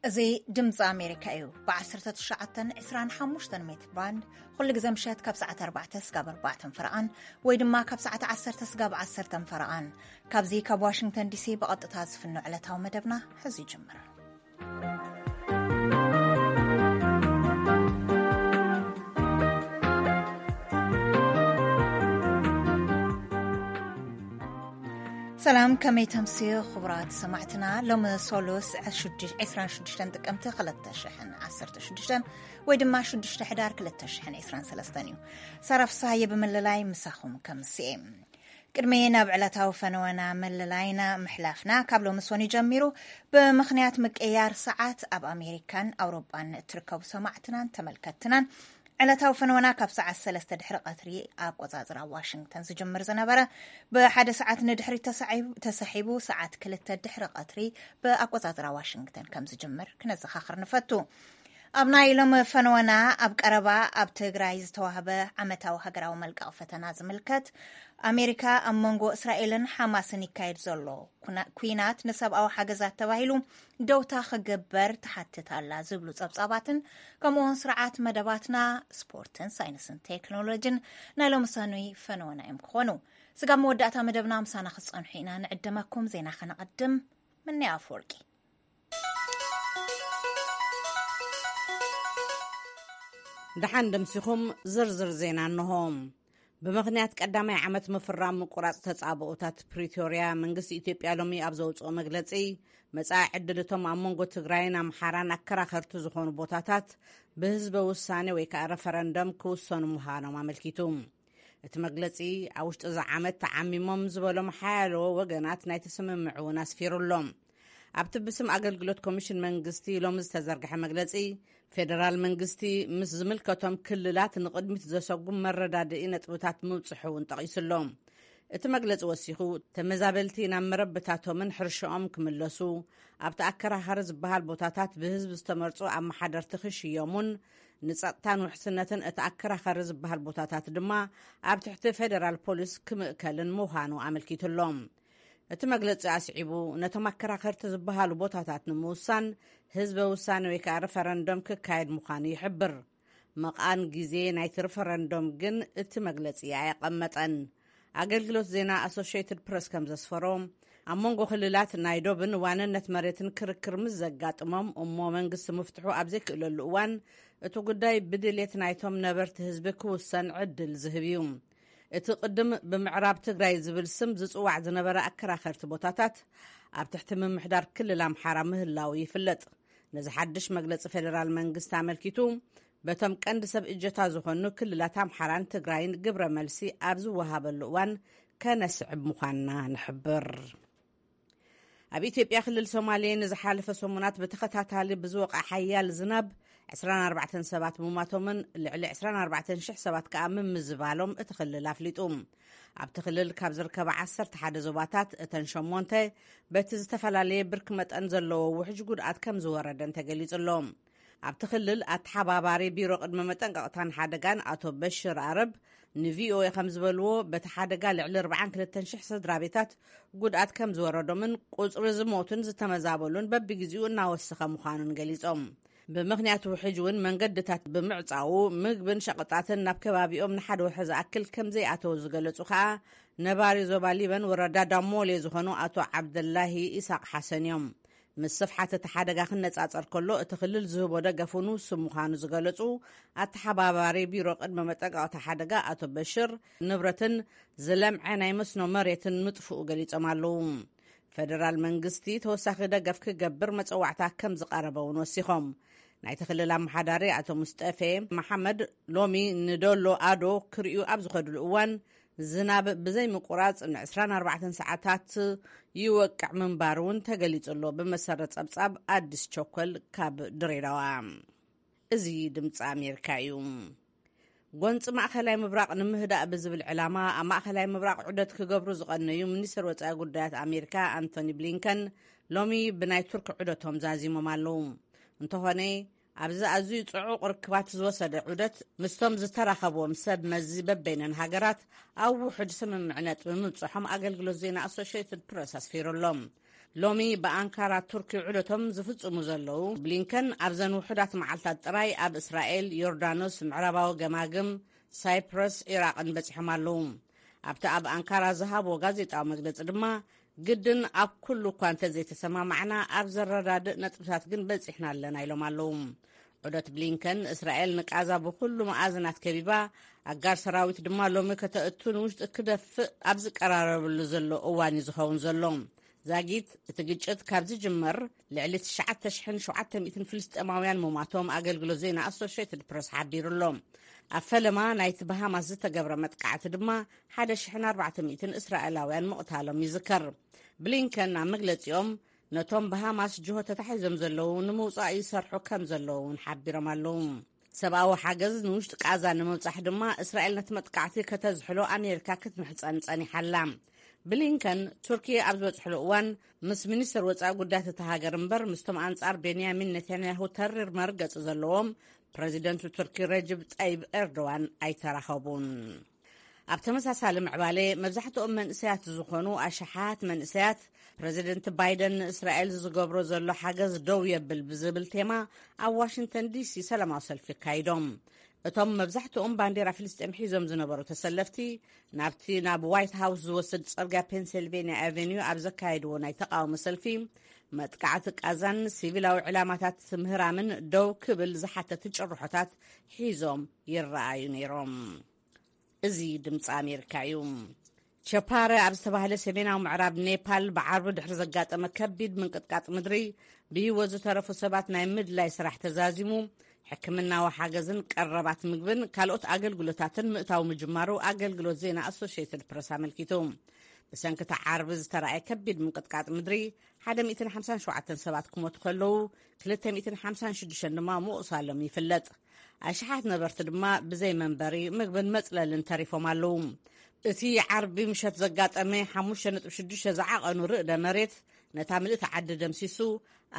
እዚ ድምፂ ኣሜሪካ እዩ። ብ19፣ 25 ሜትር ባንድ ኩሉ ግዜ ምሸት ካብ ሰዓት ኣርባዕተ ስጋብ ኣርባዕተ ፈረቓን ወይ ድማ ካብ ሰዓት ዓሰርተ ስጋብ ዓሰርተ ፈረቓን፣ ካብዚ ካብ ዋሽንግተን ዲሲ ብቐጥታ ዝፍኖ ዕለታዊ መደብና ሕዚ ይጅምር። ሰላም፣ ከመይ ተምስዩ ክቡራት ሰማዕትና? ሎሚ ሶሉስ፣ ዕስራን ሽዱሽተን ጥቅምቲ ክልተ ሽሕን ዓሰርተ ሽዱሽተን ወይ ድማ ሽዱሽተ ሕዳር ክልተ ሽሕን ዕስራን ሰለስተን እዩ። ሳራ ፍስሃየ ብምልላይ ምሳኹም ከምስየ። ቅድሚ ናብ ዕለታዊ ፈነወና መለላይና ምሕላፍና፣ ካብ ሎሚ ሶኒ ጀሚሩ ብምኽንያት ምቅያር ሰዓት ኣብ ኣሜሪካን ኣውሮጳን እትርከቡ ሰማዕትናን ተመልከትትናን ዕለታዊ ፈነወና ካብ ሰዓት ሰለስተ ድሕሪ ቀትሪ ኣቆጻጽራ ዋሽንግተን ዝጅምር ዝነበረ፣ ብሓደ ሰዓት ንድሕሪት ተሳዒቡ-፣ ተሳሒቡ ሰዓት ክልተ ድሕሪ ቀትሪ ብኣቆጻጽራ ዋሽንግተን ከም ዝጅምር ክነዘኻኽር ንፈቱ። ኣብ ናይ ሎም ፈነወና፣ ኣብ ቀረባ ኣብ ትግራይ ዝተዋህበ ዓመታዊ ሃገራዊ መልቀቕ ፈተና ዝምልከት፣ ኣሜሪካ ኣብ መንጎ እስራኤልን ሓማስን ይካየድ ዘሎ ኩና-፣ ኩናት ንሰብኣዊ ሓገዛት ተባሂሉ ደውታ ክግበር ትሓትት ኣላ ዝብሉ ጸብጻባትን፣ ከምኡውን ስርዓት መደባትና፣ ስፖርትን ሳይንስን ቴክኖሎጂን ናይ ሎሚ ሰኑይ ፈነወና እዮም ክኾኑ። ስጋብ መወዳእታ መደብና ምሳና ክትጸንሑ ኢና ንዕደመኩም። ዜና ከነቐድም። ምንያ ኣፈወርቂ። ደሓን ደምሲኹም። ዝርዝር ዜና እንሆ። ብምኽንያት ቀዳማይ ዓመት ምፍራም ምቁራጽ ተጻብኦታት ፕሪቶርያ፣ መንግስቲ ኢትዮጵያ ሎሚ ኣብ ዘውጽኦ መግለጺ፣ መጻኢ ዕድል እቶም ኣብ መንጎ ትግራይን ኣምሓራን ኣከራኸርቲ ዝኾኑ ቦታታት ብህዝበ ውሳኔ ወይ ከኣ ረፈረንደም ክውሰኑ ምዃኖም ኣመልኪቱ። እቲ መግለጺ፣ ኣብ ውሽጢ እዚ ዓመት ተዓሚሞም ዝበሎም ሓያሎ ወገናት ናይቲ ስምምዕ እውን ኣስፊሩ ኣሎ። ኣብቲ ብስም ኣገልግሎት ኮሚሽን መንግስቲ ሎሚ ዝተዘርግሐ መግለጺ፣ ፌደራል መንግስቲ ምስ ዝምልከቶም ክልላት ንቕድሚት ዘሰጉም መረዳድኢ ነጥብታት ምብጽሑ እውን ጠቒሱ ኣሎ። እቲ መግለጺ ወሲኹ፣ ተመዛበልቲ ናብ መረብታቶምን ሕርሻኦም ክምለሱ፣ ኣብቲ ኣከራኻሪ ዝበሃል ቦታታት ብህዝቢ ዝተመርጹ ኣመሓደርቲ ክሽየሙን፣ ንጸጥታን ውሕስነትን እቲ ኣከራኻሪ ዝበሃል ቦታታት ድማ ኣብ ትሕቲ ፌደራል ፖሊስ ክምእከልን ምዃኑ ኣመልኪቱ ኣሎ። እቲ መግለጺ ኣስዒቡ፣ ነቶም ኣከራኸርቲ ዝበሃሉ ቦታታት ንምውሳን ህዝበ ውሳኔ ወይ ከኣ ሪፈረንደም ክካየድ ምዃኑ ይሕብር። መቓን ግዜ ናይቲ ሪፈረንደም ግን እቲ መግለጺ ኣየቐመጠን። ኣገልግሎት ዜና ኣሶሽየትድ ፕረስ ከም ዘስፈሮ፣ ኣብ መንጎ ክልላት ናይ ዶብን ዋንነት መሬትን ክርክር ምስ ዘጋጥሞም እሞ መንግስቲ ምፍትሑ ኣብ ዘይክእለሉ እዋን፣ እቲ ጉዳይ ብድልየት ናይቶም ነበርቲ ህዝቢ ክውሰን ዕድል ዝህብ እዩ። እቲ ቅድም ብምዕራብ ትግራይ ዝብል ስም ዝጽዋዕ ዝነበረ ኣከራኸርቲ ቦታታት ኣብ ትሕቲ ምምሕዳር ክልል ኣምሓራ ምህላው ይፍለጥ። ነዚ ሓድሽ መግለጺ ፌደራል መንግስቲ ኣመልኪቱ፣ በቶም ቀንዲ ሰብ እጀታ ዝኾኑ ክልላት ኣምሓራን ትግራይን ግብረ መልሲ ኣብ ዝወሃበሉ እዋን ከነስዕብ ምዃንና ንሕብር። ኣብ ኢትዮጵያ ክልል ሶማሌ ንዝሓለፈ ሰሙናት ብተኸታታሊ ብዝወቕዐ ሓያል ዝናብ ዕስራን ኣርባዕተን ሰባት ምሟቶምን ልዕሊ ዕስራን ኣርባዕተን ሽሕ ሰባት ከኣ ምምዝባሎም እቲ ክልል ኣፍሊጡ። ኣብቲ ክልል ካብ ዝርከባ ዓሰርተ ሓደ ዞባታት እተን ሸሞንተ በቲ ዝተፈላለየ ብርኪ መጠን ዘለዎ ውሕጅ ጉድኣት ከም ዝወረደን ተገሊጹ ኣሎ። ኣብቲ ክልል ኣተሓባባሪ ቢሮ ቅድመ መጠንቀቕታን ሓደጋን ኣቶ በሽር ኣረብ ንቪኦኤ ከም ዝበልዎ፣ በቲ ሓደጋ ልዕሊ ኣርባዓን ክልተን ሽሕ ስድራ ቤታት ጉድኣት ከም ዝወረዶምን ቁጽሪ ዝሞቱን ዝተመዛበሉን በብግዜኡ እናወሰኸ ምዃኑን ገሊጾም። ብምኽንያት ውሕጅ እውን መንገድታት ብምዕጻዉ፣ ምግብን ሸቐጣትን ናብ ከባቢኦም ንሓደ ወርሒ ዝኣክል ከም ዘይኣተዉ ዝገለጹ ከኣ ነባሪ ዞባ ሊበን ወረዳ ዳሞሌ ዝኾኑ ኣቶ ዓብደላሂ ኢሳቕ ሓሰን እዮም። ምስ ስፍሓት እቲ ሓደጋ ክነጻጸር ከሎ፣ እቲ ክልል ዝህቦ ደገፍ እውን ውሱን ምዃኑ ዝገለጹ ኣተሓባባሪ ቢሮ ቅድመ መጠንቀቕታ ሓደጋ ኣቶ በሽር፣ ንብረትን ዝለምዐ ናይ መስኖ መሬትን ምጥፍኡ ገሊጾም ኣለዉ። ፌደራል መንግስቲ ተወሳኺ ደገፍ ክገብር መጸዋዕታ ከም ዝቐረበ እውን ወሲኾም። ናይቲ ክልል ኣመሓዳሪ ኣቶ ሙስጠፌ መሓመድ ሎሚ ንዶሎ ኣዶ ክርእዩ ኣብ ዝኸድሉ እዋን፣ ዝናብ ብዘይምቁራጽ ን ዕስራን ኣርባዕተን ሰዓታት ይወቅዕ ምንባሩ እውን ተገሊጹ ኣሎ። ብመሰረት ጸብጻብ ኣዲስ ቸኮል ካብ ድሬዳዋ። እዚ ድምፂ ኣሜሪካ እዩ። ጎንፂ ማእኸላይ ምብራቕ ንምህዳእ ብዝብል ዕላማ ኣብ ማእኸላይ ምብራቕ ዑደት ክገብሩ ዝቐነዩ ሚኒስትር ወፃኢ ጉዳያት ኣሜሪካ ኣንቶኒ ብሊንከን ሎሚ ብናይ ቱርክ ዑደቶም ዛዚሞም ኣለዉ። እንተኾነ ኣብዚ ኣዝዩ ጽዑቕ ርክባት ዝወሰደ ዑደት ምስቶም ዝተራኸብዎም ሰብ መዚ በበይነን ሃገራት ኣብ ውሑድ ስምምዕ ነጥቢ ምብጽሖም ኣገልግሎት ዜና ኣሶሽየትድ ፕረስ ኣስፊሩ ኣሎ። ሎሚ ብኣንካራ ቱርኪ ውዕደቶም ዝፍጽሙ ዘለዉ ብሊንከን ኣብዘን ውሑዳት መዓልታት ጥራይ ኣብ እስራኤል፣ ዮርዳኖስ፣ ምዕራባዊ ገማግም፣ ሳይፕረስ፣ ኢራቕን በጺሖም ኣለዉ። ኣብቲ ኣብ ኣንካራ ዝሃብዎ ጋዜጣዊ መግለጺ ድማ፣ ግድን ኣብ ኩሉ እኳ እንተዘይተሰማማዕና፣ ኣብ ዘረዳድእ ነጥብታት ግን በጺሕና ኣለና ኢሎም ኣለዉ። ዑደት ብሊንከን፣ እስራኤል ንቃዛ ብኹሉ መኣዝናት ከቢባ፣ ኣጋር ሰራዊት ድማ ሎሚ ከተእቱ ንውሽጢ ክደፍእ ኣብ ዝቀራረብሉ ዘሎ እዋን እዩ ዝኸውን ዘሎ። ዛጊት፣ እቲ ግጭት ካብ ዝጅመር ልዕሊ ትሽዓተ ሽሕን ሸውዓተ ሚእትን ፍልስጤማውያን ምሟቶም ኣገልግሎት ዜና ኣሶሽየትድ ፕረስ ሓቢሩ ኣሎ። ኣብ ፈለማ ናይቲ ብሃማስ ዝተገብረ መጥቃዕቲ ድማ ሓደ ሽሕን ኣርባዕተ ሚእትን እስራኤላውያን ምቕታሎም ይዝከር። ብሊንከን ኣብ መግለጺኦም፣ ነቶም ብሃማስ ጅሆ ተታሒዞም ዘለዉ ንምውጻእ ይሰርሑ ከም ዘለዉ እውን ሓቢሮም ኣለዉ። ሰብኣዊ ሓገዝ ንውሽጢ ቃዛ ንምብጻሕ ድማ እስራኤል ነቲ መጥቃዕቲ ከተዝሕሎ ኣሜሪካ ክትምሕጸን ጸኒሓ ኣላ። ብሊንከን ቱርኪ ኣብ ዝበጽሕሉ እዋን ምስ ሚኒስትር ወጻኢ ጉዳያት እታ ሃገር እምበር ምስቶም ኣንጻር ቤንያሚን ኔታንያሁ ተሪር መርገጺ ዘለዎም ፕረዚደንቱ ቱርኪ ረጅብ ጠይብ ኤርዶዋን ኣይተራኸቡን። ኣብ ተመሳሳሊ ምዕባለ፣ መብዛሕትኦም መንእሰያት ዝኾኑ ኣሽሓት መንእሰያት፣ ፕረዚደንት ባይደን ንእስራኤል ዝገብሮ ዘሎ ሓገዝ ደው የብል ብዝብል ቴማ ኣብ ዋሽንግተን ዲሲ ሰላማዊ ሰልፊ ኣካይዶም። እቶም መብዛሕትኦም ባንዴራ ፍልስጤም ሒዞም ዝነበሩ ተሰለፍቲ፣ ናብቲ ናብ ዋይት ሃውስ ዝወስድ ጽርግያ ፔንሲልቬንያ ኣቨኒዩ ኣብ ዘካየድዎ ናይ ተቓውሞ ሰልፊ፣ መጥቃዕቲ ቃዛን ሲቪላዊ ዕላማታት ምህራምን ደው ክብል ዝሓተቱ ጭርሖታት ሒዞም ይረኣዩ ነይሮም። እዚ ድምፂ ኣሜሪካ እዩ። ቸፓረ ኣብ ዝተባህለ ሰሜናዊ ምዕራብ ኔፓል ብዓርቢ ድሕሪ ዘጋጠመ ከቢድ ምንቅጥቃጥ ምድሪ፣ ብህይወት ዝተረፉ ሰባት ናይ ምድላይ ስራሕ ተዛዚሙ፣ ሕክምናዊ ሓገዝን ቀረባት ምግብን ካልኦት ኣገልግሎታትን ምእታው ምጅማሩ ኣገልግሎት ዜና ኣሶሽየትድ ፕረስ ኣመልኪቱ። ብሰንኪ እቲ ዓርቢ ዝተራእየ ከቢድ ምንቅጥቃጥ ምድሪ፣ ሓደ ሚእትን ሓምሳን ሸውዓተን ሰባት ክሞቱ ከለዉ፣ ክልተ ሚእትን ሓምሳን ሽዱሽተን ድማ ምቑሳሎም ይፍለጥ። ኣሽሓት ነበርቲ ድማ ብዘይ መንበሪ፣ ምግብን መጽለልን ተሪፎም ኣለዉ። እቲ ዓርቢ ምሸት ዘጋጠመ ሓሙሽተ ነጥቢ ሽዱሽተ ዝዓቐኑ ርእደ መሬት፣ ነታ ምልእቲ ዓዲ ደምሲሱ፣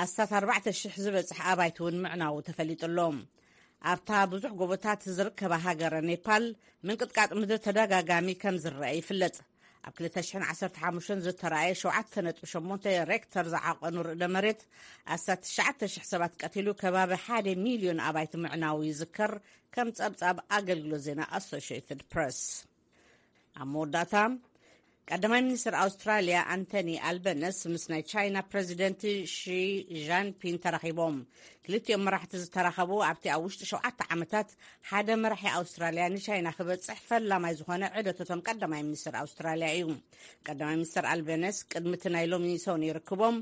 ኣስታት ኣርባዕተ ሽሕ ዝበጽሕ ኣባይቲ እውን ምዕናዉ ተፈሊጡ ኣሎ። ኣብታ ብዙሕ ጎቦታት ዝርከባ ሃገረ ኔፓል፣ ምንቅጥቃጥ ምድሪ ተደጋጋሚ ከም ዝረአ ይፍለጥ። ኣብ ክልተ ሽሕን ዓሰርተ ሓሙሽተን ዝተራእየ ሸውዓተ ነጥቢ ሸሞንተ ሬክተር ዝዓቐኑ ርእደ መሬት፣ ኣስታት ትሽዓተ ሽሕ ሰባት ቀቲሉ፣ ከባቢ ሓደ ሚልዮን ኣባይቲ ምዕናዉ ይዝከር፣ ከም ጸብጻብ ኣገልግሎት ዜና ኣሶሽየትድ ፕረስ። ኣብ መወዳእታ፣ ቀዳማይ ሚኒስትር ኣውስትራልያ ኣንቶኒ ኣልበነስ ምስ ናይ ቻይና ፕረዚደንት ሺ ጃንፒን ተራኺቦም። ክልቲኦም መራሕቲ ዝተራኸቡ ኣብቲ ኣብ ውሽጢ ሸውዓተ ዓመታት ሓደ መራሒ ኣውስትራልያ ንቻይና ክበጽሕ ፈላማይ ዝኾነ ዕደቶቶም ቀዳማይ ሚኒስትር ኣውስትራልያ እዩ። ቀዳማይ ሚኒስትር ኣልበነስ ቅድሚ እቲ ናይ ሎሚ ሰኑይ ርክቦም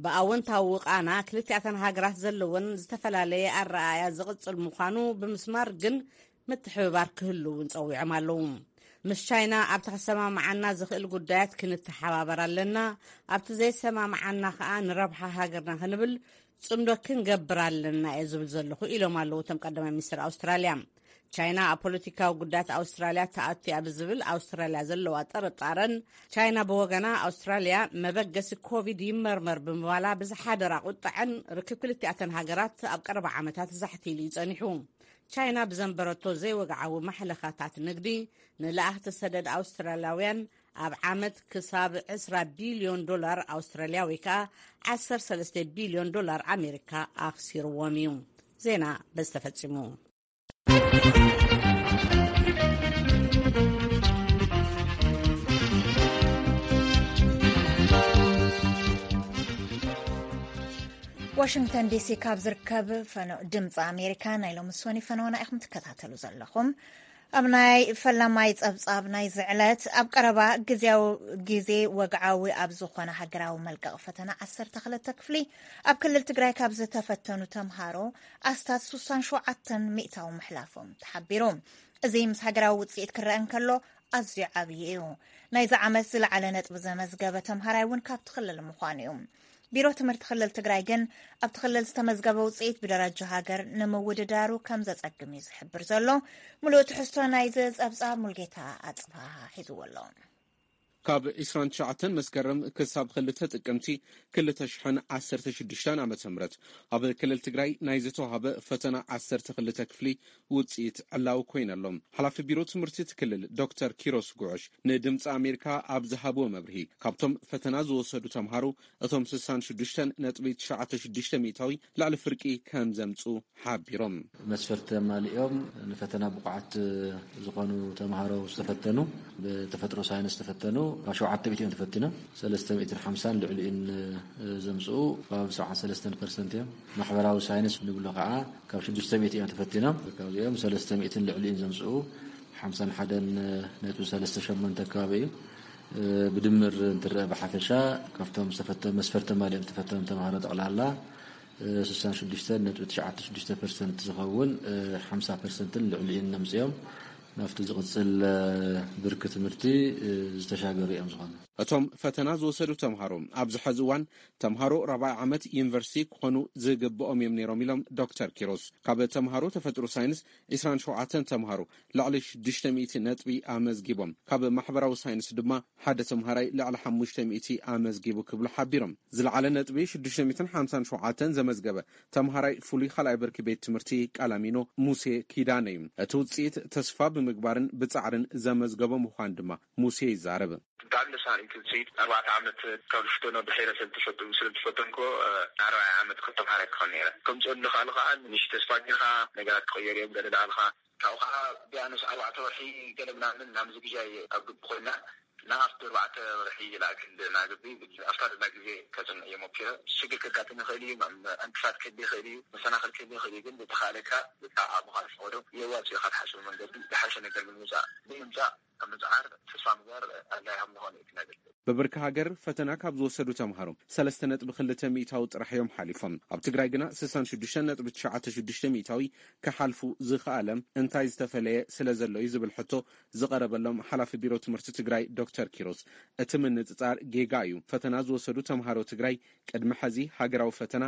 ብኣወንታዊ ቃና ክልቲኣተን ሃገራት ዘለወን ዝተፈላለየ ኣረኣእያ ዝቕጽል ምዃኑ ብምስማር ግን ምትሕብባር ክህሉ እውን ጸዊዖም ኣለዉ። ምስ ቻይና ኣብቲ ከሰማምዓና ዝኽእል ጉዳያት ክንተሓባበር ኣለና፣ ኣብቲ ዘይሰማምዓና ከኣ ንረብሓ ሃገርና ክንብል ጽምዶ ክንገብር ኣለና እየ ዝብል ዘለኹ ኢሎም ኣለዉ እቶም ቀዳማይ ሚኒስትር ኣውስትራልያ። ቻይና ኣብ ፖለቲካዊ ጉዳያት ኣውስትራልያ ተኣቱ እያ ብዝብል ኣውስትራልያ ዘለዋ ጥርጣረን፣ ቻይና ብወገና ኣውስትራልያ መበገሲ ኮቪድ ይመርመር ብምባላ ብዝሓደራ ቁጥዐን ርክብ ክልቲኣተን ሃገራት ኣብ ቀረባ ዓመታት ዛሕቲ ኢሉ እዩ ጸኒሑ። ቻይና ብዘንበረቶ ዘይወግዓዊ ማሕለኻታት ንግዲ ንለኣኽቲ ሰደድ ኣውስትራልያውያን ኣብ ዓመት ክሳብ ዕስራ ቢልዮን ዶላር ኣውስትራልያ ወይ ከኣ ዓሰርተ ሰለስተ ቢልዮን ዶላር ኣሜሪካ ኣኽሲርዎም እዩ። ዜና በዚ ተፈጺሙ። ዋሽንግተን ዲሲ ካብ ዝርከብ ፈኖ ድምፂ ኣሜሪካ ናይ ሎሚ ሶኒ ፈነወና ኢኹም ትከታተሉ ዘለኹም። ኣብ ናይ ፈላማይ ጸብጻብ ናይዚ ዕለት፣ ኣብ ቀረባ ግዜያዊ ግዜ ወግዓዊ ኣብ ዝኾነ ሃገራዊ መልቀቕ ፈተና ዓሰርተ ክልተ ክፍሊ ኣብ ክልል ትግራይ ካብ ዝተፈተኑ ተምሃሮ ኣስታት ስሳን ሸውዓተን ሚእታዊ ምሕላፎም ተሓቢሩ። እዚ ምስ ሃገራዊ ውጽኢት ክረአ እንከሎ ኣዝዩ ዓብዪ እዩ። ናይዚ ዓመት ዝለዓለ ነጥቢ ዘመዝገበ ተምሃራይ እውን ካብቲ ክልል ምዃኑ እዩ። ቢሮ ትምህርቲ ክልል ትግራይ ግን ኣብቲ ክልል ዝተመዝገበ ውፅኢት ብደረጃ ሃገር ንምውድዳሩ ከም ዘፀግም እዩ ዝሕብር ዘሎ። ሙሉእ ትሕዝቶ ናይዚ ፀብፃብ ሙልጌታ ኣፅብሃ ሒዝዎ ኣሎ። ካብ ዕስራን ትሽዓተን መስከረም ክሳብ ክልተ ጥቅምቲ ክልተ ሽሕን ዓሰርተ ሽዱሽተን ዓመተ ምህረት ኣብ ክልል ትግራይ ናይ ዝተዋህበ ፈተና ዓሰርተ ክልተ ክፍሊ ውፅኢት ዕላዊ ኮይነሎም። ሓላፊ ቢሮ ትምህርቲ እቲ ክልል ዶክተር ኪሮስ ጉዑሽ ንድምፂ ኣሜሪካ ኣብ ዝሃብዎ መብርሂ፣ ካብቶም ፈተና ዝወሰዱ ተምሃሮ እቶም ስሳን ሽዱሽተን ነጥቢ ትሽዓተ ሽዱሽተ ሚእታዊ ልዕሊ ፍርቂ ከም ዘምፅኡ ሓቢሮም። መስፈርት ኣማሊኦም ንፈተና ብቑዓት ዝኾኑ ተምሃሮ ዝተፈተኑ፣ ብተፈጥሮ ሳይንስ ዝተፈተኑ ካብ ሸውዓተ ሚእቲ እዮም ተፈቲኖም። ሰለስተ ሚእትን ሓምሳን ልዕሊኡን ዘምፅኡ ከባቢ ሰብዓን ሰለስተን ፐርሰንት እዮም። ማሕበራዊ ሳይንስ ንብሎ ከዓ ካብ ሽዱሽተ ሚእቲ እዮም ተፈቲኖም። ካብዚኦም ሰለስተ ሚእትን ልዕሊኡን ዘምፅኡ ሓምሳን ሓደን ነጥቢ ሰለስተ ሸሞንተ ከባቢ እዩ። ብድምር እንትረአ ብሓፈሻ ካብቶም ዝተፈተ-፣ መስፈርት ኣማሊኦም ዝተፈተኑ ተምሃሮ ጠቕላላ ስሳን ሽዱሽተ ነጥቢ ትሽዓተ ሽዱሽተ ፐርሰንት ዝኸውን ሓምሳ ፐርሰንትን ልዕሊኡን ነምፅኦም ናብቲ ዝቕፅል ብርኪ ትምህርቲ ዝተሻገሩ እዮም ዝኾኑ። እቶም ፈተና ዝወሰዱ ተምሃሮ ኣብዚ ሐዚ እዋን ተምሃሮ ራብዓይ ዓመት ዩኒቨርሲቲ ክኾኑ ዝግብኦም እዮም ነይሮም ኢሎም ዶክተር ኪሮስ። ካብ ተምሃሮ ተፈጥሮ ሳይንስ ዕስራን ሸውዓተን ተምሃሮ ልዕሊ ሽዱሽተ ሚእቲ ነጥቢ ኣመዝጊቦም፣ ካብ ማሕበራዊ ሳይንስ ድማ ሓደ ተምሃራይ ልዕሊ ሓሙሽተ ሚእቲ ኣመዝጊቡ ክብሉ ሓቢሮም። ዝለዓለ ነጥቢ ሽዱሽተ ሚእትን ሓምሳን ሸውዓተን ዘመዝገበ ተምሃራይ ፍሉይ ካልኣይ ብርኪ ቤት ትምህርቲ ቃላሚኖ ሙሴ ኪዳነ እዩ። እቲ ውፅኢት ተስፋ ብምግባርን ብፃዕርን ዘመዝገቦ ምዃን ድማ ሙሴ ይዛረብ። ብጣዕሚ ደስ በሃሊት ውፅኢት። ኣርባዕተ ዓመት ካብ ዝፍተኖ ድሒረ ስለዝተፈቱ-፣ ስለዝተፈተንኮ፣ እ፣ ኣርባዕተ ዓመት ከም ተምሃራይ ክኾን ነይረ። ከምፅኦ ዝኽኣሉ ከዓ ንእሽቶ ተስፋ ጌርካ፣ ነገራት ክቕየሩ እዮም ገለ ዳልካ። ካብኡ ከዓ ቢያንስ ኣርባዕተ ወርሒ ገለ ምናምን ናብ ዝግጃ እየ ኣብ ግቢ ኮይና፣ እና ኣብቲ ኣርባዕተ ወርሒ ይለኣክል እና ግቢ፣ ኣብታ ደላ ግዜ ከፅንዕ እየ ሞኪረ። ሽግር ከጋጥም ይኽእል እዩ፣ ዕንቅፋት ክህሉ ይኽእል እዩ፣ መሰናኽል ክህሉ ይኽእል እዩ። ግን ዝተኻእለካ ብዛዕባ ምዃን ዝፈቐዶ የዋፅኡ ኢኻ ትሓስቡ መንገዲ ዝሓሸ ነገር ንምምፃእ ብምምፃእ ኣብ ምፅዓር ተስፋ ምግባር ኣድላይ ከም ዝኾነ እዩ ክነግር። ብብርኪ ሃገር ፈተና ካብ ዝወሰዱ ተምሃሮ ሰለስተ ነጥቢ ክልተ ሚእታዊ ጥራሕ እዮም ሓሊፎም። ኣብ ትግራይ ግና ስሳን ሽዱሽተ ነጥቢ ትሽዓተ ሽዱሽተ ሚእታዊ ክሓልፉ ዝኸኣለ እንታይ ዝተፈለየ ስለ ዘሎ እዩ ዝብል ሕቶ ዝቐረበሎም ሓላፊ ቢሮ ትምህርቲ ትግራይ ዶክተር ኪሮስ፣ እቲ ምንጽጻር ጌጋ እዩ። ፈተና ዝወሰዱ ተምሃሮ ትግራይ ቅድሚ ሐዚ ሃገራዊ ፈተና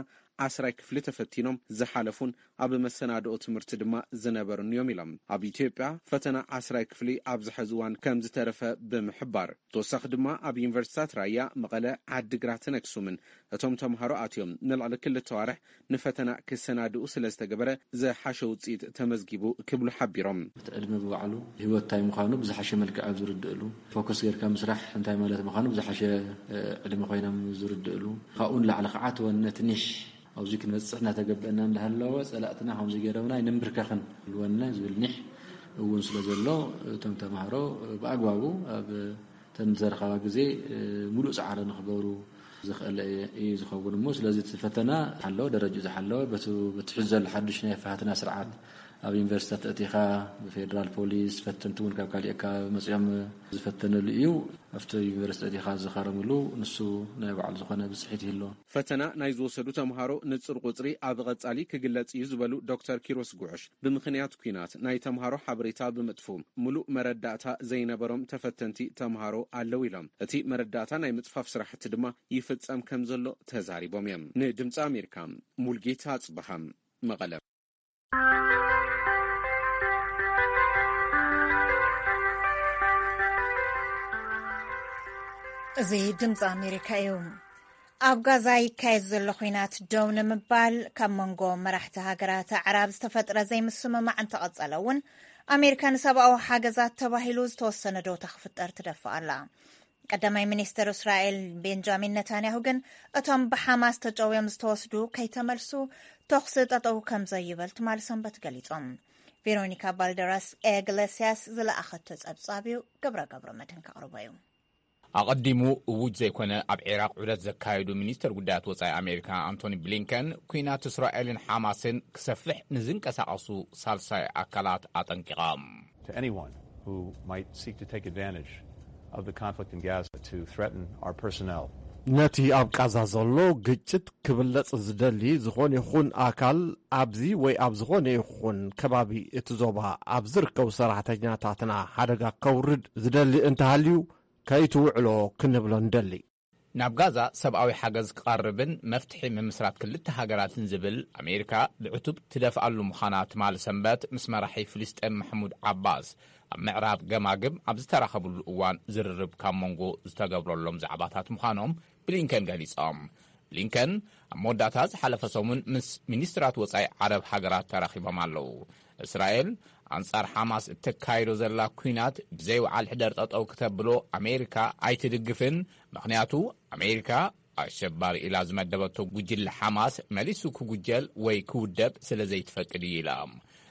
ዓስራይ ክፍሊ ተፈቲኖም ዝሓለፉን ኣብ መሰናድኦ ትምህርቲ ድማ ዝነበሩን እዮም ኢሎም። ኣብ ኢትዮጵያ ፈተና ዓስራይ ክፍሊ ኣብዚ ሐዚ እዋን ከም ዝተረፈ ብምሕባር፣ ተወሳኺ ድማ ኣብ ዩኒቨርሲታት ራያ፣ መቐለ፣ ዓዲግራትን ኣክሱምን እቶም ተምሃሮ ኣትዮም ንልዕሊ ክልተ ዋርሕ ንፈተና ክሰናድኡ ስለ ዝተገበረ ዝሓሸ ውፅኢት ተመዝጊቡ ክብሉ ሓቢሮም። እቲ ዕድመ ብባዕሉ ህይወት እንታይ ምዃኑ ብዝሓሸ መልክዕ ኣብ ዝርድእሉ፣ ፎከስ ጌርካ ምስራሕ እንታይ ማለት ምዃኑ ብዝሓሸ፣ እ፣ ዕድመ ኮይኖም ዝርድእሉ፣ ካብኡ ንላዕሊ ከዓ እቲ ወነ ትንሽ ኣብዚ ክንበፅሕ እናተገበአና እንዳሃለወ ፀላእትና ከምዚ ገይሮምና ኣይንንብርከኽን ወነ ዝብል ኒሕ እውን ስለ ዘሎ እቶም ተምሃሮ ብኣግባቡ ኣብ እተን ዘረኸባ ግዜ፣ እ፣ ሙሉእ ፃዕሪ ንኽገብሩ ዘኽእል እዩ ዝኸውን እሞ፣ ስለዚ እቲ ፈተና ዝሓለወ፣ ደረጃ ዝሓለወ፣ በቲ፣ በቲ ሕዚ ዘሎ ሓዱሽ ናይ ኣፈታትና ስርዓት ኣብ ዩኒቨርሲቲታት ኣእቲኻ ብፌደራል ፖሊስ፣ ፈተንቲ እውን ካብ ካሊእ ኣካባቢ መፂኦም ዝፈተንሉ እዩ። ኣብቲ ዩኒቨርሲቲ ኣእቲኻ ዝኻረምሉ ንሱ ናይ ባዕሉ ዝኾነ ብፅሒት ይህልዎ። ፈተና ናይ ዝወሰዱ ተምሃሮ ንጹር ቁጽሪ ኣብ ቐጻሊ ክግለጽ እዩ ዝበሉ ዶክተር ኪሮስ ጉዕሽ፣ ብምኽንያት ኲናት ናይ ተምሃሮ ሓበሬታ ብምጥፍኡ፣ ምሉእ መረዳእታ ዘይነበሮም ተፈተንቲ ተምሃሮ ኣለዉ ኢሎም። እቲ መረዳእታ ናይ ምጥፋፍ ስራሕቲ ድማ ይፍጸም ከም ዘሎ ተዛሪቦም እዮም። ንድምጺ ኣሜሪካ፣ ሙልጌታ ኣጽበሃ፣ መቐለ። እዚ ድምፂ ኣሜሪካ እዩ። ኣብ ጋዛ ይካየድ ዘሎ ኲናት ደው ንምባል ካብ መንጎ መራሕቲ ሃገራት ኣዕራብ ዝተፈጥረ ዘይምስምማዕ እንተቐጸለ እውን፣ ኣሜሪካ ንሰብኣዊ ሓገዛት ተባሂሉ ዝተወሰነ ዶታ ክፍጠር ትደፍእ ኣላ። ቀዳማይ ሚኒስትር እስራኤል ቤንጃሚን ነታንያሁ ግን፣ እቶም ብሓማስ ተጨውዮም ዝተወስዱ ከይተመልሱ፣ ተኹሲ ጠጠው ከም ዘይብል ትማሊ ሰንበት ገሊጾም። ቬሮኒካ ባልደራስ ኤግለሲያስ ዝለኣኸቶ ጸብጻብ እዩ፣ ግብረ ገብረ መድህን ከቕርቦ እዩ። ኣቐዲሙ እዉጅ ዘይኮነ ኣብ ዒራቕ ዑደት ዘካየዱ ሚኒስተር ጉዳያት ወጻኢ ኣሜሪካ ኣንቶኒ ብሊንከን፣ ኲናት እስራኤልን ሓማስን ክሰፍሕ ንዝንቀሳቐሱ ሳልሳይ ኣካላት ኣጠንቂቖም። To anyone who might seek to take advantage of the conflict in Gaza to threaten our personnel. ነቲ ኣብ ቃዛ ዘሎ ግጭት ክብለጽ ዝደሊ ዝኾነ ይኹን ኣካል፣ ኣብዚ ወይ ኣብ ዝኾነ ይኹን ከባቢ እቲ ዞባ ኣብ ዝርከቡ ሰራሕተኛታትና ሓደጋ ከውርድ ዝደሊ እንተሃልዩ፣ ከይትውዕሎ ክንብሎ ንደሊ። ናብ ጋዛ ሰብኣዊ ሓገዝ ክቐርብን መፍትሒ ምምስራት ክልተ ሃገራትን ዝብል ኣሜሪካ ብዕቱብ ትደፍኣሉ ምዃና ትማሊ ሰንበት ምስ መራሒ ፍልስጤም ማሕሙድ ዓባስ ኣብ ምዕራብ ገማግም ኣብ ዝተራኸብሉ እዋን ዝርርብ ካብ መንጎ ዝተገብረሎም ዛዕባታት ምዃኖም ብሊንከን ገሊጾም። ብሊንከን ኣብ መወዳእታ ዝሓለፈ ሰሙን ምስ ሚኒስትራት ወጻኢ ዓረብ ሃገራት ተራኺቦም ኣለዉ። እስራኤል ኣንጻር ሓማስ እተካይዶ ዘላ ኲናት ብዘይወዓል ሕደር ጠጠው ክተብሎ ኣሜሪካ ኣይትድግፍን፣ ምኽንያቱ ኣሜሪካ ኣሸባሪ ኢላ ዝመደበቶ ጉጅለ ሓማስ መሊሱ ክጉጀል ወይ ክውደብ ስለ ዘይትፈቅድ እዩ ኢላ።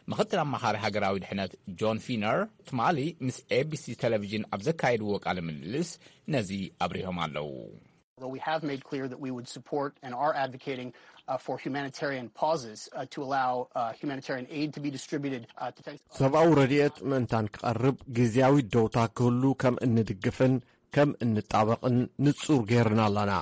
ምኽትል ኣማኻሪ ሃገራዊ ድሕነት ጆን ፊነር ትማሊ ምስ ኤቢሲ ቴሌቪዥን ኣብ ዘካየድዎ ቃለ ምልልስ ነዚ ኣብሪሆም ኣለዉ። Although we have made clear that we would support and are advocating uh, for humanitarian pauses uh, to allow uh, humanitarian aid to be distributed uh, to ሰብኣዊ ረድኤት ምእንታን ክቐርብ ግዝያዊ ደውታ ክህሉ ከም እንድግፍን ከም እንጣበቕን ንጹር ገይርና ኣለና።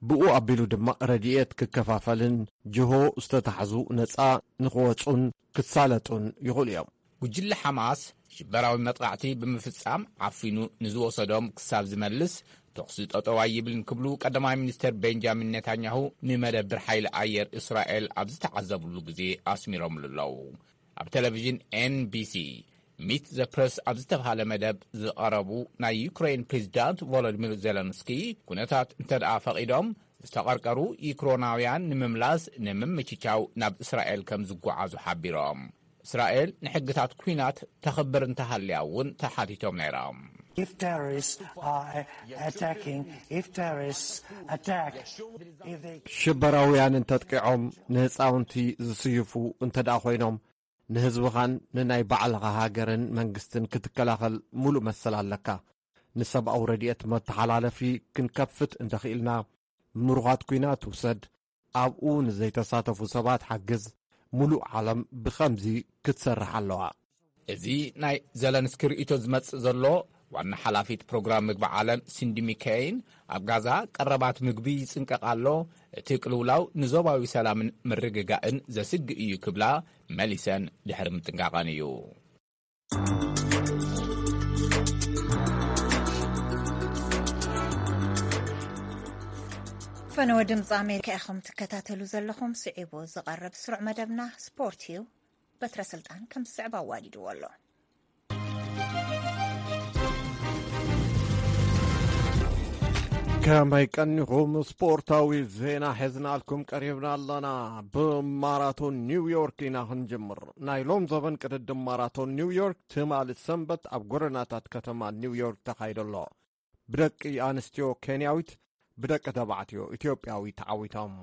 ብኡ ኣቢሉ ድማ ረድኤት ክከፋፈልን ጅሆ ዝተታሕዙ ነጻ ንኽወጹን ክሳለጡን ይኽእሉ እዮም። ጉጅለ ሓማስ ሽበራዊ መጥቓዕቲ ብምፍጻም ዓፊኑ ንዝወሰዶም ክሳብ ዝመልስ ተኹሲ ጠጠው ኣይብልን ክብሉ ቀዳማይ ሚኒስተር ቤንጃሚን ኔታንያሁ ንመደብር ሓይሊ ኣየር እስራኤል ኣብ ዝተዓዘብሉ ግዜ ኣስሚሮምሉ ኣለዉ። ኣብ ቴሌቪዥን ኤንቢሲ ሚት ዘ ፕረስ ኣብ ዝተባሃለ መደብ ዝቐረቡ ናይ ዩክሬን ፕሬዚዳንት ቮሎዲሚር ዜለንስኪ ኩነታት እንተደኣ ፈቒዶም ዝተቐርቀሩ ዩክሮናውያን ንምምላስ ንምምችቻው ናብ እስራኤል ከም ዝጓዓዙ ሓቢሮም። እስራኤል ንሕግታት ኲናት ተኽብር እንተሃልያ እውን ተሓቲቶም ነይሮም። If terrorists are attacking, if terrorists attack, if they ሽበራውያን እንተጥቂዖም ንህፃውንቲ ዝስይፉ እንተ ደኣ ኮይኖም ንህዝብኻን ንናይ ባዕልኻ ሃገርን መንግስትን ክትከላኸል ሙሉእ መሰል ኣለካ። ንሰብኣዊ ረድኤት መተሓላለፊ ክንከፍት እንተኽኢልና ምሩኻት ኲናት ውሰድ፣ ኣብኡ ንዘይተሳተፉ ሰባት ሓግዝ፣ ሙሉእ ዓለም ብኸምዚ ክትሰርሕ ኣለዋ። እዚ ናይ ዘለንስኪ ርእይቶ ዝመጽእ ዘሎ ዋና ሓላፊት ፕሮግራም ምግቢ ዓለም ሲንዲ ሚከይን ኣብ ጋዛ ቀረባት ምግቢ ይጽንቀቕ ኣሎ፣ እቲ ቅልውላው ንዞባዊ ሰላምን ምርግጋእን ዘስግእ እዩ ክብላ መሊሰን ድሕሪ ምጥንቃቐን እዩ። ፈነወ ድምፂ ኣሜሪካ ኢኹም ትከታተሉ ዘለኹም። ስዒቡ ዝቐርብ ስሩዕ መደብና ስፖርት እዩ። በትረ ስልጣን ከም ዝስዕብ ኣዋዲድዎ ኣሎ። ከመይ ቀኒኹም? ስፖርታዊ ዜና ሒዝናልኩም ቀሪብና ኣለና። ብማራቶን ኒውዮርክ ኢና ክንጅምር። ናይ ሎም ዘበን ቅድድም ማራቶን ኒውዮርክ ትማሊ ሰንበት ኣብ ጎደናታት ከተማ ኒውዮርክ ተኻይዶ ኣሎ። ብደቂ ኣንስትዮ ኬንያዊት፣ ብደቂ ተባዕትዮ ኢትዮጵያዊ ተዓዊቶም።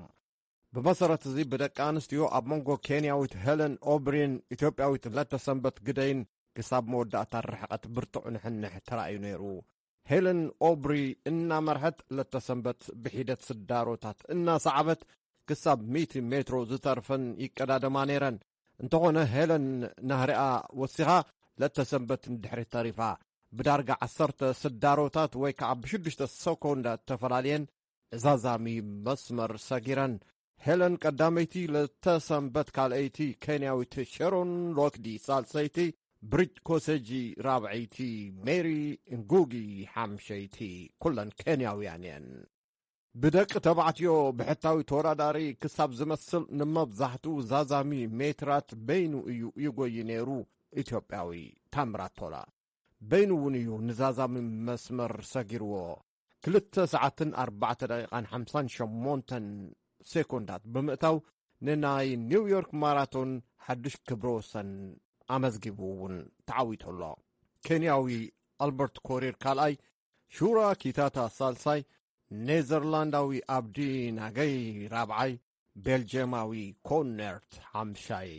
ብመሰረት እዚ ብደቂ ኣንስትዮ ኣብ መንጎ ኬንያዊት ሄለን ኦብሪን ኢትዮጵያዊት ለተሰንበት ግደይን ክሳብ መወዳእታ ርሕቐት ብርቱዕ ንሕንሕ ተራእዩ ነይሩ። ሄለን ኦብሪ እናመርሐት ለተሰንበት ብሒደት ስዳሮታት እናሰዓበት ክሳብ ሚእቲ ሜትሮ ዝተርፈን ይቀዳደማ ነይረን። እንተኾነ ሄለን ናህሪኣ ወሲኻ ለተሰንበት ንድሕሪት ተሪፋ። ብዳርጋ ዓሰርተ ስዳሮታት ወይ ከዓ ብሽዱሽተ ሰኮንዳ ተፈላልየን እዛዛሚ መስመር ሰጊረን። ሄለን ቀዳመይቲ፣ ለተሰንበት ካልኣይቲ፣ ኬንያዊት ሸሮን ሎክዲ ሳልሰይቲ፣ ብሪጅ ኮሰጂ ራብዐይቲ፣ ሜሪ እንጉጊ ሓምሸይቲ፣ ኩለን ኬንያውያን እየን። ብደቂ ተባዕትዮ ብሕታዊ ተወዳዳሪ ክሳብ ዝመስል ንመብዛሕትኡ ዛዛሚ ሜትራት በይኑ እዩ ይጎይ ነይሩ ኢትዮጵያዊ ታምራት ቶላ። በይኑ እውን እዩ ንዛዛሚ መስመር ሰጊርዎ። ክልተ ሰዓትን ኣርባዕተ ደቂቓን ሓምሳን ሸሞንተን ሴኮንዳት ብምእታው ንናይ ኒውዮርክ ማራቶን ሓድሽ ክብረ ወሰን ኣመዝጊቡ እውን ተዓዊቱ ኣሎ። ኬንያዊ ኣልበርት ኮሪር ካልኣይ፣ ሹራ ኪታታ ሳልሳይ፣ ኔዘርላንዳዊ ኣብዲ ናገይ ራብዓይ፣ ቤልጅየማዊ ኮነርት ሓምሻይ።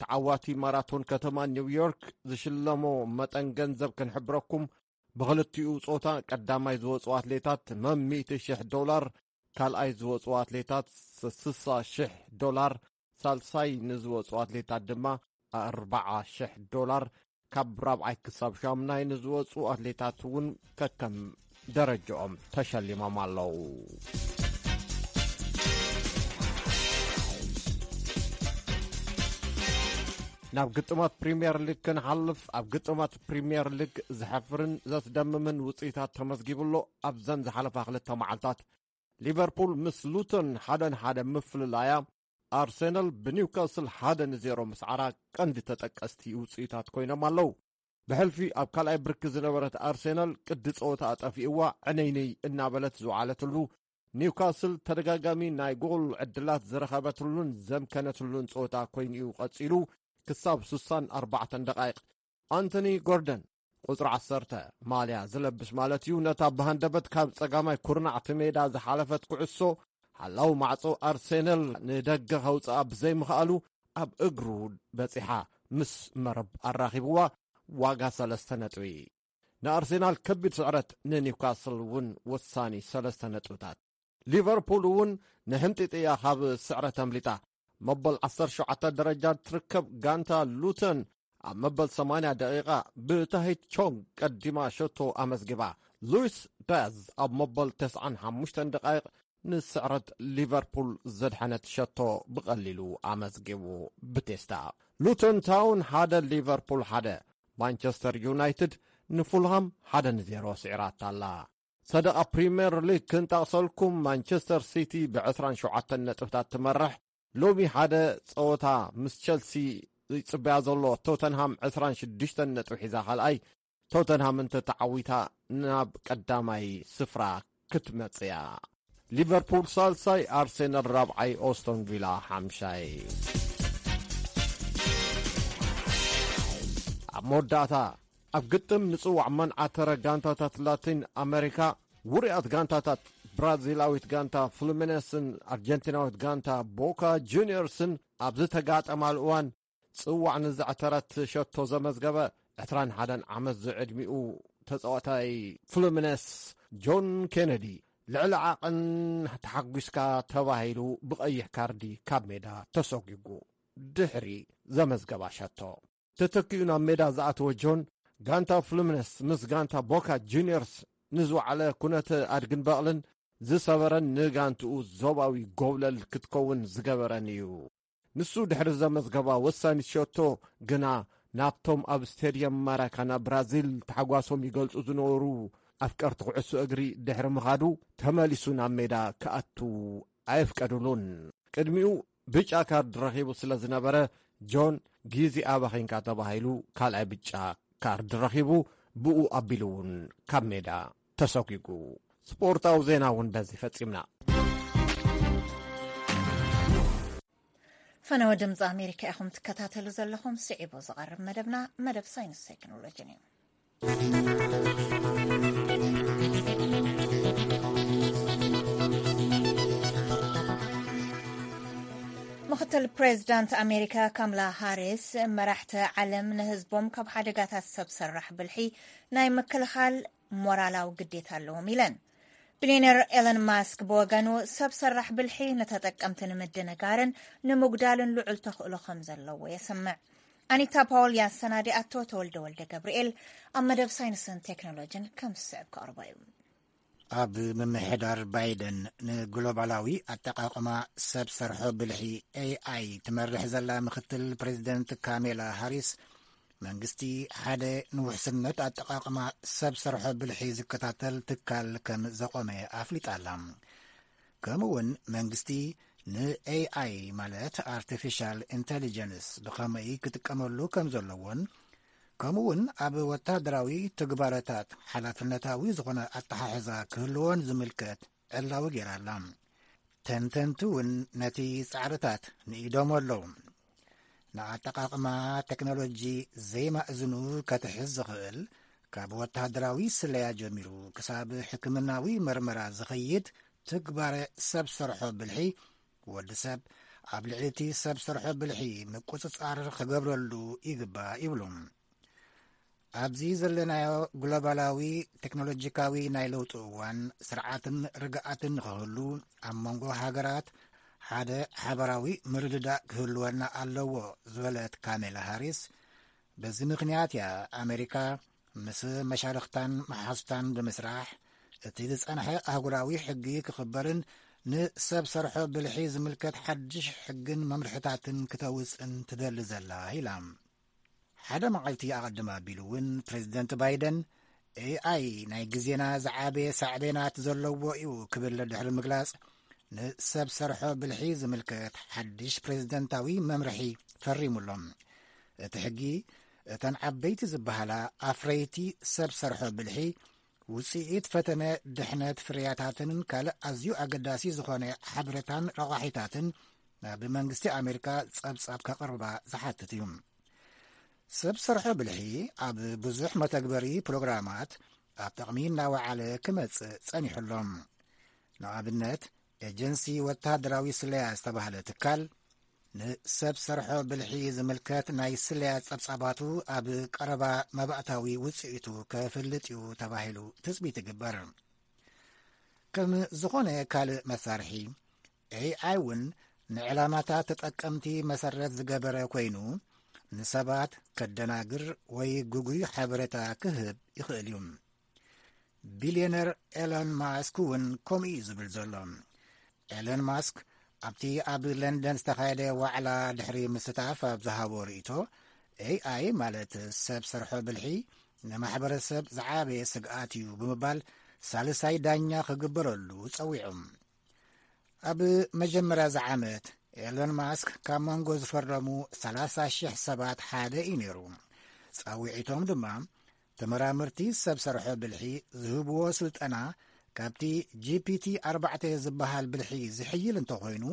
ተዓዋቲ ማራቶን ከተማ ኒውዮርክ ዝሽለሞ መጠን ገንዘብ ክንሕብረኩም፣ ብኽልቲኡ ጾታ ቀዳማይ ዝወጹ ኣትሌታት መም ሚእቲ ሽሕ ዶላር፣ ካልኣይ ዝወጹ ኣትሌታት ስሳ ሽሕ ዶላር፣ ሳልሳይ ንዝወጹ ኣትሌታት ድማ ኣርባዓ ሽሕ ዶላር፣ ካብ ራብዓይ ክሳብ ሻምናይ ንዝወጹ ኣትሌታት እውን ከከም ደረጃኦም ተሸሊሞም ኣለዉ። ናብ ግጥማት ፕሪምየር ሊግ ክንሓልፍ፣ ኣብ ግጥማት ፕሪምየር ሊግ ዘሕፍርን ዘስደምምን ውጽኢታት ተመዝጊቡ ኣሎ። ኣብዘን ዝሓለፋ ክልተ መዓልታት ሊቨርፑል ምስ ሉቶን ሓደ ንሓደ ምፍልላያ፣ ኣርሴናል ብኒውካስል ሓደ ንዜሮ ምስዓራ ቀንዲ ተጠቀስቲ ውጽኢታት ኮይኖም ኣለዉ። ብሕልፊ ኣብ ካልኣይ ብርኪ ዝነበረት ኣርሴናል ቅዲ ጸወታ ኣጠፊእዋ ዕነይነይ እናበለት ዝወዓለትሉ፣ ኒውካስል ተደጋጋሚ ናይ ጎል ዕድላት ዝረኸበትሉን ዘምከነትሉን ጸወታ ኮይኑ'ዩ ቀጺሉ፣ ክሳብ ስሳን ኣርባዕተን ደቓይቕ። ኣንቶኒ ጎርደን፣ ቁጽሪ ዓሰርተ ማልያ ዝለብስ ማለት እዩ፣ ነታ ብሃንደበት ካብ ጸጋማይ ኩርናዕቲ ሜዳ ዝሓለፈት ኩዕሶ፣ ሓላው ማዕጾ ኣርሴናል ንደገ ከውጽኣ ብዘይምኽኣሉ፣ ኣብ እግሩ በጺሓ ምስ መረብ ኣራኺብዋ፣ ዋጋ ሰለስተ ነጥቢ። ንኣርሴናል ከቢድ ስዕረት፣ ንኒውካስል እውን ወሳኒ ሰለስተ ነጥብታት። ሊቨርፑል እውን ንሕምጢጥ እያ ካብ ስዕረት ኣምሊጣ። መበል ዓሰርተ ሸውዓተ ደረጃ ትርከብ ጋንታ ሉተን ኣብ መበል ሰማንያ ደቂቓ ብታሂት ቾንግ ቀዲማ ሸቶ ኣመዝጊባ። ሉዊስ ዳያዝ ኣብ መበል ተስዓን ሓሙሽተን ደቃይቕ ንስዕረት ሊቨርፑል ዘድሐነት ሸቶ ብቐሊሉ ኣመዝጊቡ። ብቴስታ ሉተን ታውን ሓደ፣ ሊቨርፑል ሓደ። ማንቸስተር ዩናይትድ ንፉልሃም ሓደ ንዜሮ ስዒራታ ኣላ። ሰደቓ ፕሪምየር ሊግ ክንጠቕሰልኩም፣ ማንቸስተር ሲቲ ብዕስራን ሸውዓተን ነጥብታት ትመርሕ። ሎሚ ሓደ ጸወታ ምስ ቸልሲ ይጽበያ ዘሎ ቶተንሃም ዕስራን ሽዱሽተን ነጥቢ ሒዛ ካልኣይ፣ ቶተንሃም እንተተዓዊታ ናብ ቀዳማይ ስፍራ ክትመጽእ እያ። ሊቨርፑል ሳልሳይ፣ ኣርሴናል ራብዓይ፣ ኦስቶን ቪላ ሓምሻይ። ኣብ መወዳእታ፣ ኣብ ግጥም ንጽዋዕ መንዓተረ ጋንታታት ላቲን ኣሜሪካ፣ ውሩያት ጋንታታት ብራዚላዊት ጋንታ ፍሉሚነስን ኣርጀንቲናዊት ጋንታ ቦካ ጁኒየርስን ኣብ ዝተጋጠማሉ እዋን፣ ጽዋዕ ንዘዕተረት ሸቶ ዘመዝገበ ዕስራን ሓደን ዓመት ዝዕድሚኡ ተጻዋታይ ፍሉሚነስ ጆን ኬነዲ፣ ልዕሊ ዓቐን ተሓጒስካ ተባሂሉ ብቐይሕ ካርዲ ካብ ሜዳ ተሰጒጉ ድሕሪ ዘመዝገባ ሸቶ። ተተኪኡ ናብ ሜዳ ዝኣተወ ጆን፣ ጋንታ ፍሉሚነስ ምስ ጋንታ ቦካ ጁኒየርስ ንዝወዓለ ኩነተ ኣድግን በቕልን ዝሰበረን ንጋንትኡ ዞባዊ ጎብለል ክትከውን ዝገበረን እዩ። ንሱ ድሕሪ ዘመዝገባ ወሳኒት ሸቶ ግና፣ ናብቶም ኣብ ስቴድየም ማራካና ብራዚል ታሕጓሶም ይገልጹ ዝነበሩ ኣፍቀርቲ ኩዕሶ እግሪ ድሕሪ ምኻዱ፣ ተመሊሱ ናብ ሜዳ ክኣቱ ኣየፍቀዱሉን። ቅድሚኡ ብጫ ካርድ ረኺቡ ስለ ዝነበረ፣ ጆን፣ ግዜ ኣባኺንካ ተባሂሉ ካልኣይ ብጫ ካርድ ረኺቡ፣ ብኡ ኣቢሉ እውን ካብ ሜዳ ተሰጒጉ። ስፖርታዊ ዜና እውን በዚ ፈጺምና። ፈነወ ድምፂ ኣሜሪካ ኢኹም ትከታተሉ ዘለኹም። ስዒቡ ዝቐርብ መደብና መደብ ሳይንስ ቴክኖሎጂን እዩ። ምክትል ፕሬዚዳንት ኣሜሪካ ካምላ ሃሪስ፣ መራሕቲ ዓለም ንህዝቦም ካብ ሓደጋታት ሰብ ሰራሕ ብልሒ ናይ ምክልኻል ሞራላዊ ግዴታ ኣለዎም ኢለን። ቢልዮነር ኤለን ማስክ ብወገኑ፣ ሰብ ሰራሕ ብልሒ ንተጠቀምቲ ንምድንጋርን ንምጉዳልን ልዑል ተኽእሎ ከም ዘለዎ የስምዕ። ኣኒታ ፓውል ያሰናዲኣቶ፣ ተወልደ ወልደ ገብርኤል ኣብ መደብ ሳይንስን ቴክኖሎጂን ከም ዝስዕብ ከቕርቦ እዩ። ኣብ ምምሕዳር ባይደን ንግሎባላዊ ኣጠቓቕማ ሰብ ሰርሖ ብልሒ፣ ኤኣይ፣ ትመርሕ ዘላ ምክትል ፕሬዚደንት ካሜላ ሃሪስ፣ መንግስቲ ሓደ ንውሕስነት ኣጠቓቕማ ሰብ ሰርሖ ብልሒ ዝከታተል ትካል ከም ዘቖመ ኣፍሊጣ ኣላ። ከምኡ እውን መንግስቲ ንኤኣይ፣ ማለት ኣርቲፊሻል ኢንተሊጀንስ፣ ብኸመይ ክጥቀመሉ ከም ዘለዎን፣ ከምኡ እውን ኣብ ወታደራዊ ትግባረታት ሓላፍነታዊ ዝኾነ ኣተሓሕዛ ክህልዎን ዝምልከት ዕላዊ ገይራ ኣላ። ተንተንቲ እውን ነቲ ጻዕርታት ንኢዶም ኣለዉ። ንኣጠቓቕማ ቴክኖሎጂ ዘይማእዝኑ ከትሕዝ ዝኽእል፣ ካብ ወተሃደራዊ ስለያ ጀሚሩ ክሳብ ሕክምናዊ መርመራ ዝኸይድ ትግባረ ሰብ ሰርሖ ብልሒ፣ ወዲ ሰብ ኣብ ልዕሊ እቲ ሰብ ሰርሖ ብልሒ ምቁጽጻር ክገብረሉ ይግባእ ይብሉ። ኣብዚ ዘለናዮ ግሎባላዊ ቴክኖሎጂካዊ ናይ ለውጢ እዋን፣ ስርዓትን ርግኣትን ንኽህሉ፣ ኣብ መንጎ ሃገራት ሓደ ሓበራዊ ምርድዳእ ክህልወና ኣለዎ ዝበለት ካሜላ ሃሪስ፣ በዚ ምኽንያት እያ ኣሜሪካ ምስ መሻርኽታን መሓዙታን ብምስራሕ፣ እቲ ዝጸንሐ ኣህጉራዊ ሕጊ ክኽበርን ንሰብ ሰርሖ ብልሒ ዝምልከት ሓድሽ ሕግን መምርሕታትን ክተውጽን ትደሊ ዘላ ኢላ። ሓደ መዓልቲ ኣቐድም ኣቢሉ እውን ፕሬዚደንት ባይደን፣ ኤኣይ ናይ ግዜና ዝዓበየ ሳዕቤናት ዘለዎ እዩ ክብል ድሕሪ ምግላጽ፣ ንሰብ ሰርሖ ብልሒ ዝምልከት ሓድሽ ፕሬዚደንታዊ መምርሒ ፈሪሙሎም። እቲ ሕጊ፣ እተን ዓበይቲ ዝበሃላ ኣፍረይቲ ሰብ ሰርሖ ብልሒ፣ ውጽኢት ፈተነ ድሕነት ፍርያታትን ካልእ ኣዝዩ ኣገዳሲ ዝኾነ ሓበሬታን ረቋሒታትን ናብ መንግስቲ ኣሜሪካ ጸብጻብ ከቕርባ ዝሓትት እዩ። ሰብ ሰርሖ ብልሒ ኣብ ብዙሕ መተግበሪ ፕሮግራማት ኣብ ጥቕሚ እናወዓለ ክመጽእ ጸኒሑ ኣሎ። ንኣብነት፣ ኤጀንሲ ወተሃደራዊ ስለያ ዝተባህለ ትካል፣ ንሰብ ሰርሖ ብልሒ ዝምልከት ናይ ስለያ ጸብጻባቱ ኣብ ቀረባ መባእታዊ ውጽኢቱ ከፍልጥ እዩ ተባሂሉ ትጽቢት ይግበር። ከም ዝኾነ ካልእ መሳርሒ፣ ኤኣይ እውን ንዕላማታት ተጠቀምቲ መሰረት ዝገበረ ኮይኑ፣ ንሰባት ከደናግር ወይ ግጉይ ሓበሬታ ክህብ ይኽእል እዩ። ቢልዮነር ኤሎን ማስክ እውን ከምኡ እዩ ዝብል ዘሎ። ኤሎን ማስክ ኣብቲ ኣብ ለንደን ዝተኻየደ ዋዕላ ድሕሪ ምስታፍ ኣብ ዝሃቦ ርእይቶ፣ ኤኣይ ማለት ሰብ ሰርሖ ብልሒ ንማሕበረሰብ ዝዓበየ ስግኣት እዩ ብምባል ሳልሳይ ዳኛ ክግበረሉ ጸዊዑ። ኣብ መጀመርያ እዚ ዓመት ኤሎን ማስክ ካብ መንጎ ዝፈረሙ ሰላሳ ሽሕ ሰባት ሓደ እዩ ነይሩ። ጻውዒቶም ድማ ተመራመርቲ ሰብ ሰርሖ ብልሒ ዝህብዎ ስልጠና ካብቲ ጂ ፒ ቲ ኣርባዕተ ዝበሃል ብልሒ ዝሕይል እንተኾይኑ፣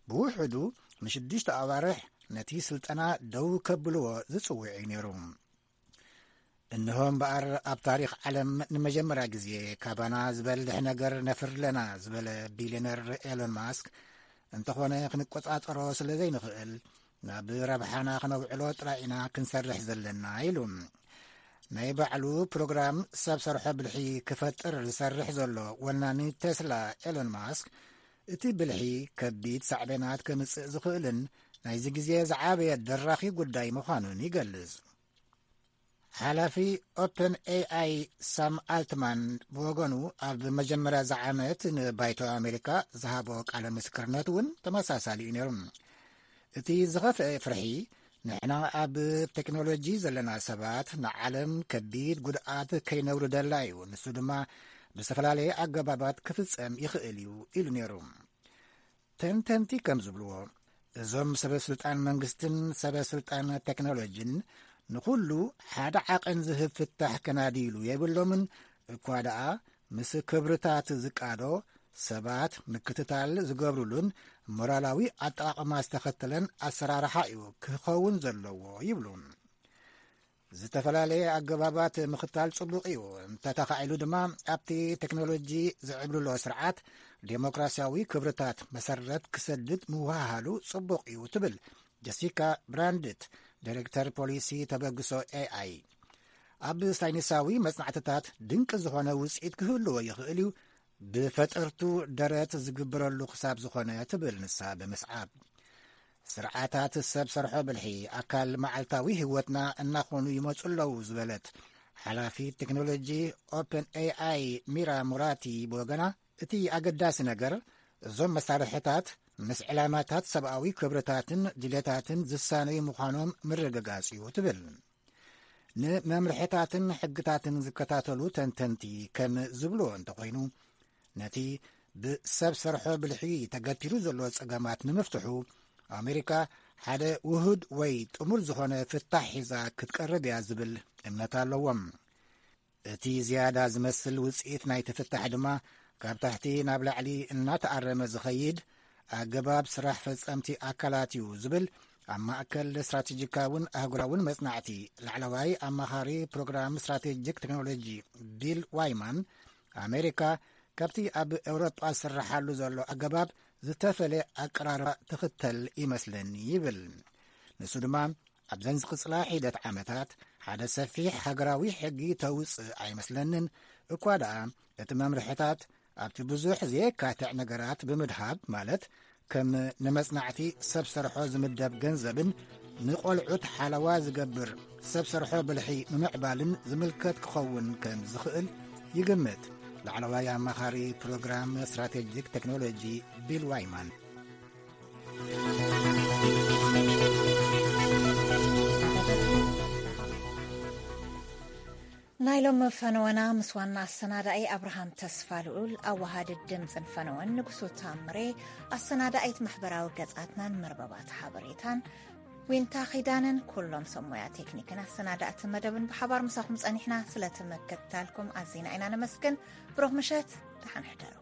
ብውሕዱ ንሽዱሽተ ኣዋርሕ ነቲ ስልጠና ደው ከብልዎ ዝጽውዕ እዩ ነይሩ። እንሆ እምበኣር፣ ኣብ ታሪኽ ዓለም ንመጀመርያ ግዜ ካባና ዝበልሕ ነገር ነፍሪ ኣለና ዝበለ ቢልዮነር ኤሎን ማስክ፣ እንተኾነ ክንቆጻጸሮ ስለ ዘይንኽእል፣ ናብ ረብሓና ክነውዕሎ ጥራይ ኢና ክንሰርሕ ዘለና ኢሉ። ናይ ባዕሉ ፕሮግራም ሰብ ሰርሖ ብልሒ ክፈጥር ዝሰርሕ ዘሎ ወናኒ ቴስላ ኤሎን ማስክ፣ እቲ ብልሒ ከቢድ ሳዕቤናት ከምጽእ ዝኽእልን ናይዚ ግዜ ዝዓበየ ደራኺ ጉዳይ ምዃኑን ይገልጽ። ሓላፊ ኦፕን ኤኣይ ሳም ኣልትማን ብወገኑ፣ ኣብ መጀመርያ እዚ ዓመት ንባይቶ ኣሜሪካ ዝሃቦ ቃለ ምስክርነት እውን ተመሳሳሊ እዩ ነይሩ። እቲ ዝኸፍአ ፍርሒ፣ ንሕና ኣብ ቴክኖሎጂ ዘለና ሰባት ንዓለም ከቢድ ጉድኣት ከይነውርደላ እዩ፣ ንሱ ድማ ብዝተፈላለየ ኣገባባት ክፍጸም ይኽእል እዩ ኢሉ ነይሩ። ተንተንቲ ከም ዝብልዎ፣ እዞም ሰበ ስልጣን መንግስትን ሰበ ስልጣን ቴክኖሎጂን ንኹሉ ሓደ ዓቐን ዝህብ ፍታሕ ከናድይሉ የብሎምን፣ እኳ ደኣ ምስ ክብርታት ዝቃዶ፣ ሰባት ምክትታል ዝገብሩሉን ሞራላዊ ኣጠቓቕማ ዝተኸተለን ኣሰራርሓ እዩ ክኸውን ዘለዎ ይብሉ። ዝተፈላለየ ኣገባባት ምኽታል ጽቡቕ እዩ፣ እንተተኻኢሉ ድማ ኣብቲ ቴክኖሎጂ ዝዕብልሎ ስርዓት ዴሞክራሲያዊ ክብርታት መሰረት ክሰድድ ምውሃሃሉ ጽቡቕ እዩ ትብል ጀሲካ ብራንድት፣ ዳይሬክተር ፖሊሲ ተበግሶ ኤኣይ። ኣብ ሳይንሳዊ መጽናዕትታት ድንቂ ዝኾነ ውጽኢት ክህልዎ ይኽእል እዩ፣ ብፈጠርቱ ደረት ዝግበረሉ ክሳብ ዝኾነ ትብል ንሳ ብምስዓብ። ስርዓታት ሰብ ሰርሖ ብልሒ ኣካል መዓልታዊ ህይወትና እናኾኑ ይመጹ ኣለዉ ዝበለት ሓላፊት ቴክኖሎጂ ኦፕን ኤኣይ ሚራ ሙራቲ ብወገና፣ እቲ ኣገዳሲ ነገር እዞም መሳርሕታት ምስ ዕላማታት ሰብኣዊ ክብርታትን ድሌታትን ዝሳነዩ ምዃኖም ምርግጋጽ እዩ ትብል። ንመምርሕታትን ሕግታትን ዝከታተሉ ተንተንቲ ከም ዝብልዎ እንተኾይኑ፣ ነቲ ብሰብ ሰርሖ ብልሒ ተገቲሩ ዘሎ ጸገማት ንምፍትሑ ኣሜሪካ ሓደ ውሁድ ወይ ጥሙር ዝኾነ ፍታሕ ሒዛ ክትቀርብ እያ ዝብል እምነት ኣለዎም። እቲ ዝያዳ ዝመስል ውጽኢት ናይቲ ፍታሕ ድማ ካብ ታሕቲ ናብ ላዕሊ እናተኣረመ ዝኸይድ ኣገባብ ስራሕ ፈጸምቲ ኣካላት እዩ ዝብል ኣብ ማእከል ስትራቴጂካውን ኣህጉራውን መጽናዕቲ ላዕለዋይ ኣማኻሪ ፕሮግራም ስትራቴጂክ ቴክኖሎጂ ቢል ዋይማን፣ ኣሜሪካ ካብቲ ኣብ ኤውሮጳ ዝስርሓሉ ዘሎ ኣገባብ ዝተፈለ ኣቀራርባ ትኽተል ይመስለኒ ይብል። ንሱ ድማ ኣብዘን ዝቕጽላ ሒደት ዓመታት ሓደ ሰፊሕ ሃገራዊ ሕጊ ተውጽእ ኣይመስለንን። እኳ ደኣ እቲ መምርሕታት ኣብቲ ብዙሕ ዘየካትዕ ነገራት ብምድሃብ፣ ማለት ከም ንመጽናዕቲ ሰብ ሰርሖ ዝምደብ ገንዘብን ንቖልዑት ሓለዋ ዝገብር ሰብ ሰርሖ ብልሒ ምምዕባልን ዝምልከት ክኸውን ከም ዝኽእል ይግምት ላዕለዋይ ኣማኻሪ ፕሮግራም ስትራቴጂክ ቴክኖሎጂ ቢል ዋይማን። ናይሎም ፈነወና ምስ ዋና ኣሰናዳኢ ኣብርሃም ተስፋ ልኡል፣ ኣዋሃዲ ድምፅን ፈነወን ንጉሱ ታምሬ፣ ኣሰናዳኢት ማሕበራዊ ገጻትናን መርበባት ሓበሬታን ዊንታ ኺዳንን፣ ኩሎም ሰብ ሞያ ቴክኒክን ኣሰናዳእቲ መደብን ብሓባር ምሳኹም ጸኒሕና። ስለ ትምክትታልኩም ኣዚና ኢና ነመስግን። ብሩኽ ምሸት፣ ደሓን ሕደሩ።